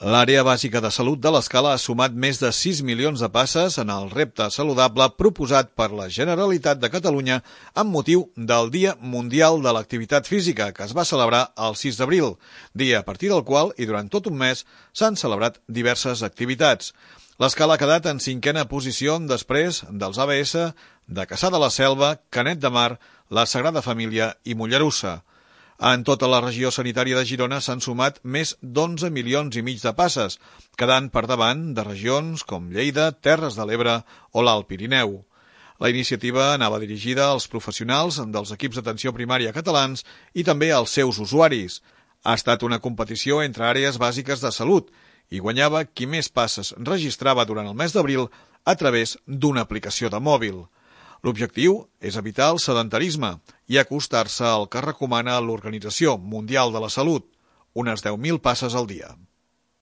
L'àrea bàsica de salut de l'Escala ha sumat més de 6 milions de passes en el repte saludable proposat per la Generalitat de Catalunya amb motiu del Dia Mundial de l'Activitat Física, que es va celebrar el 6 d'abril, dia a partir del qual, i durant tot un mes, s'han celebrat diverses activitats. L'Escala ha quedat en 5a posició després dels ABS de Cassà de la Selva, Canet de Mar, la Sagrada Família i Mollerussa. En tota la regió sanitària de Girona s'han sumat més d'11 milions i mig de passes, quedant per davant de regions com Lleida, Terres de l'Ebre o l'Alt Pirineu. La iniciativa anava dirigida als professionals dels equips d'atenció primària catalans i també als seus usuaris. Ha estat una competició entre àrees bàsiques de salut i guanyava qui més passes registrava durant el mes d'abril a través d'una aplicació de mòbil. L'objectiu és evitar el sedentarisme i acostar-se al que recomana l'Organització Mundial de la Salut, unes 10.000 passes al dia.